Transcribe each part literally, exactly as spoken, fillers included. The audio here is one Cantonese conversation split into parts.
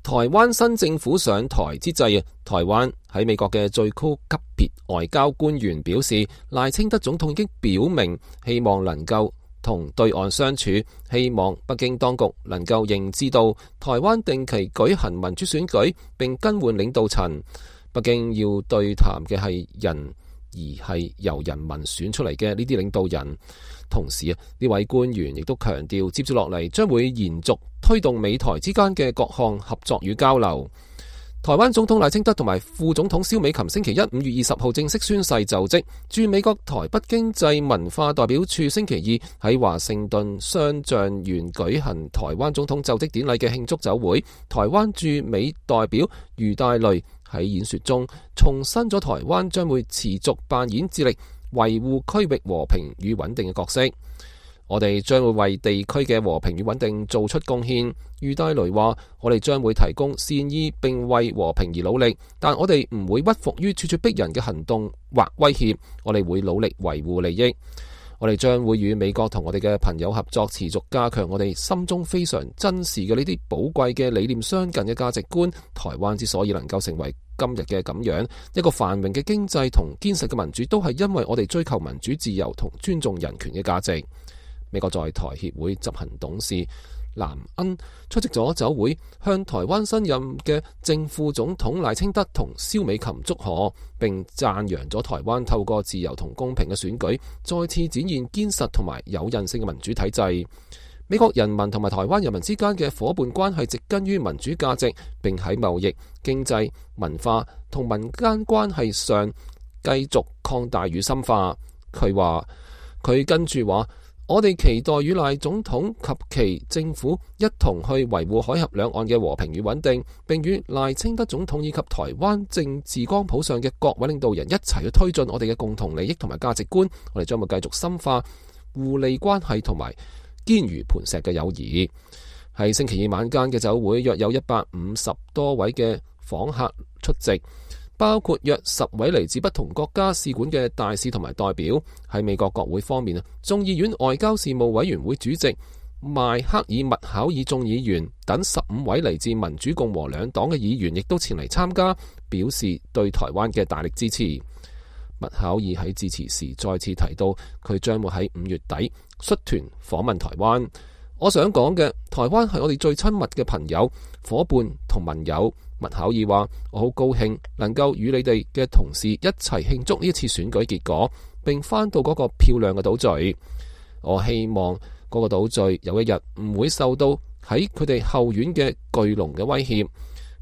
台灣新政府上台之際，台灣喺美國嘅最高級別外交官員表示，賴清德總統已經表明希望能夠同對岸相處，希望北京當局能夠認知到台灣定期舉行民主選舉並更換領導層。北京要對談嘅係人，而係由人民選出嚟嘅呢啲領導人。同時啊，呢位官員亦都強調，接住落嚟將會延續推動美台之間嘅各項合作與交流。台灣總統賴清德同埋副總統蕭美琴星期一五月二十號正式宣誓就職。駐美國台北經濟文化代表處星期二喺華盛頓雙橡園舉行台灣總統就職典禮嘅慶祝酒會。台灣駐美代表余大雷喺演說中重申咗台灣將會持續扮演致力維護區域和平與穩定嘅角色。我哋將會為地區嘅和平與穩定做出貢獻。余大雷話：我哋將會提供善意並為和平而努力，但我哋唔會屈服於咄咄逼人嘅行動或威脅。我哋會努力維護利益。我哋將會與美國同我哋嘅朋友合作，持續加強我哋心中非常珍視嘅呢啲寶貴嘅理念相近嘅價值觀。台灣之所以能夠成為今日嘅咁樣一個繁榮嘅經濟同堅實嘅民主，都係因為我哋追求民主自由同尊重人權嘅價值。美國在台協會執行董事藍恩出席咗酒會，向台灣新任嘅正副總統賴清德同蕭美琴祝賀，並讚揚咗台灣透過自由同公平嘅選舉，再次展現堅實同埋有韌性嘅民主體制。美國人民同埋台灣人民之間嘅夥伴關係植根於民主價值，並喺貿易、經濟、文化同民間關係上繼續擴大與深化。佢話佢跟住話。我哋期待與賴總統及其政府一同去維護海峽兩岸嘅和平與穩定，並與賴清德總統以及台灣政治光譜上嘅各位領導人一齊去推進我哋嘅共同利益同埋價值觀。我哋將會繼續深化互利關係同埋堅如磐石嘅友誼。喺星期二晚間嘅酒會，約有一百五十多位嘅訪客出席，包括約十位嚟自不同國家使館嘅大使同埋代表。喺美國國會方面啊，眾議院外交事務委員會主席邁克爾麥考爾眾議員等十五位嚟自民主共和兩黨嘅議員亦都前嚟參加，表示對台灣嘅大力支持。麥考爾喺致辭時再次提到，佢將會喺五月底率團訪問台灣。我想講嘅，台灣係我哋最親密嘅朋友、伙伴同盟友。麥考爾話：我好高興能夠與你哋嘅同事一齊慶祝呢一次選舉結果，並返到嗰個漂亮嘅島嶼。我希望嗰個島嶼有一日唔會受到喺佢哋後院嘅巨龍嘅威脅，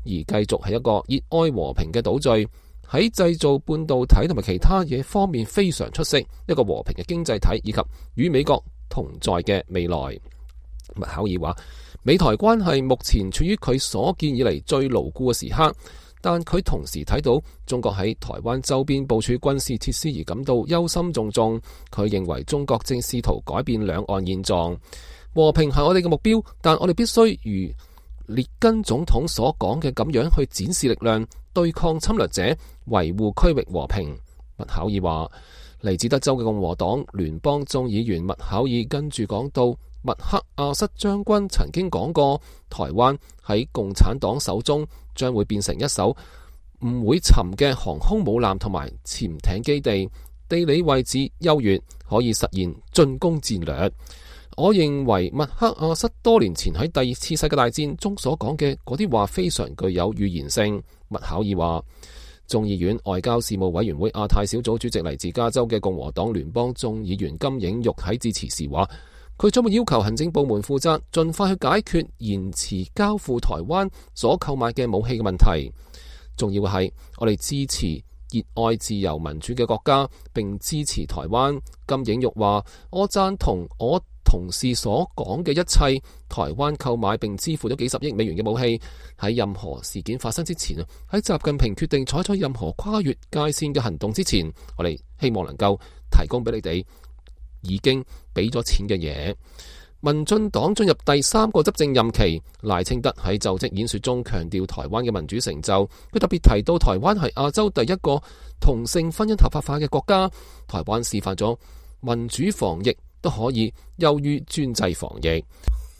而繼續係一個熱愛和平嘅島嶼，喺製造半導體同埋其他嘢方面非常出色，一個和平嘅經濟體，以及與美國同在嘅未來。麥考爾話：美台關係目前處於佢所見以嚟最牢固嘅時刻，但佢同時睇到中國喺台灣周邊部署軍事設施而感到憂心忡忡。佢認為中國正試圖改變兩岸現狀。和平係我哋嘅目標，但我哋必須如列根總統所講嘅咁樣去展示力量，對抗侵略者，維護區域和平。麥考爾話：嚟自德州嘅共和黨聯邦眾議員麥考爾跟住講到，麥克阿瑟將軍曾經講過，台灣喺共產黨手中將會變成一艘唔會沉嘅航空母艦同埋潛艇基地，地理位置優越，可以實現進攻戰略。我認為麥克阿瑟多年前喺第二次世界大戰中所講嘅嗰啲話非常具有預言性。麥考爾話，眾議院外交事務委員會亞太小組主席嚟自加州嘅共和黨聯邦眾議員金映玉喺致辭時話，佢將會要求行政部門負責，盡快去解決延遲交付台灣所購買嘅武器嘅問題。重要嘅係，我哋支持熱愛自由民主嘅國家，並支持台灣。金映玉話：我贊同我同事所講嘅一切。台灣購買並支付咗幾十億美元嘅武器，喺任何事件發生之前啊，喺習近平決定採取任何跨越界線嘅行動之前，我哋希望能夠提供俾你哋已經俾咗錢嘅嘢。民進黨進入第三個執政任期，賴清德喺就職演說中強調台灣嘅民主成就。佢特別提到台灣係亞洲第一個同性婚姻合法化嘅國家，台灣示範咗民主防疫都可以優於專制防疫。